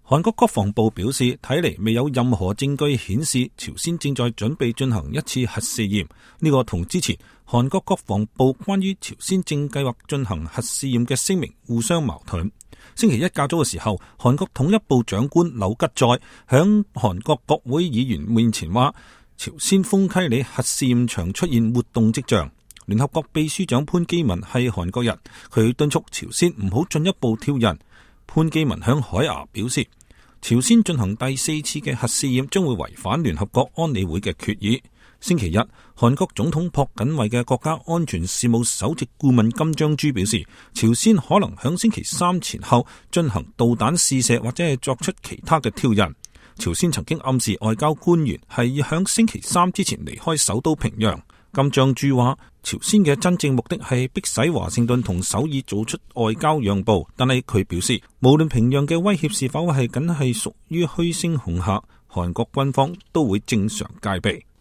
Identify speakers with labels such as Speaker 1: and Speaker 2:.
Speaker 1: 韓國國防部表示，睇嚟未有任何證據顯示朝鮮正在準備進行一次核試驗。呢個同之前韓國國防部關於朝鮮正計劃進行核試驗嘅聲明互相矛盾。星期一較早嘅時候，韓國統一部長官柳吉載響韓國國會議員面前話，朝鮮豐溪里核試驗場出現活動跡象。聯合國秘書長潘基文係韓國人，佢敦促朝鮮唔好進一步挑釁。潘基文向海牙表示，朝鮮進行第4次嘅核試驗將會違反聯合國安理會嘅決議。星期日，韓國總統朴槿惠嘅國家安全事務首席顧問金章洙表示，朝鮮可能響星期3前後進行導彈試射或者係作出其他嘅挑釁。朝鮮曾經暗示外交官員係要響星期3之前離開首都平壤。金章洙話，朝鮮嘅真正目的係迫使華盛頓同首爾做出外交讓步，但係佢表示，無論平壤嘅威脅是否係僅係屬於虛聲恐嚇，韓國軍方都會正常戒備。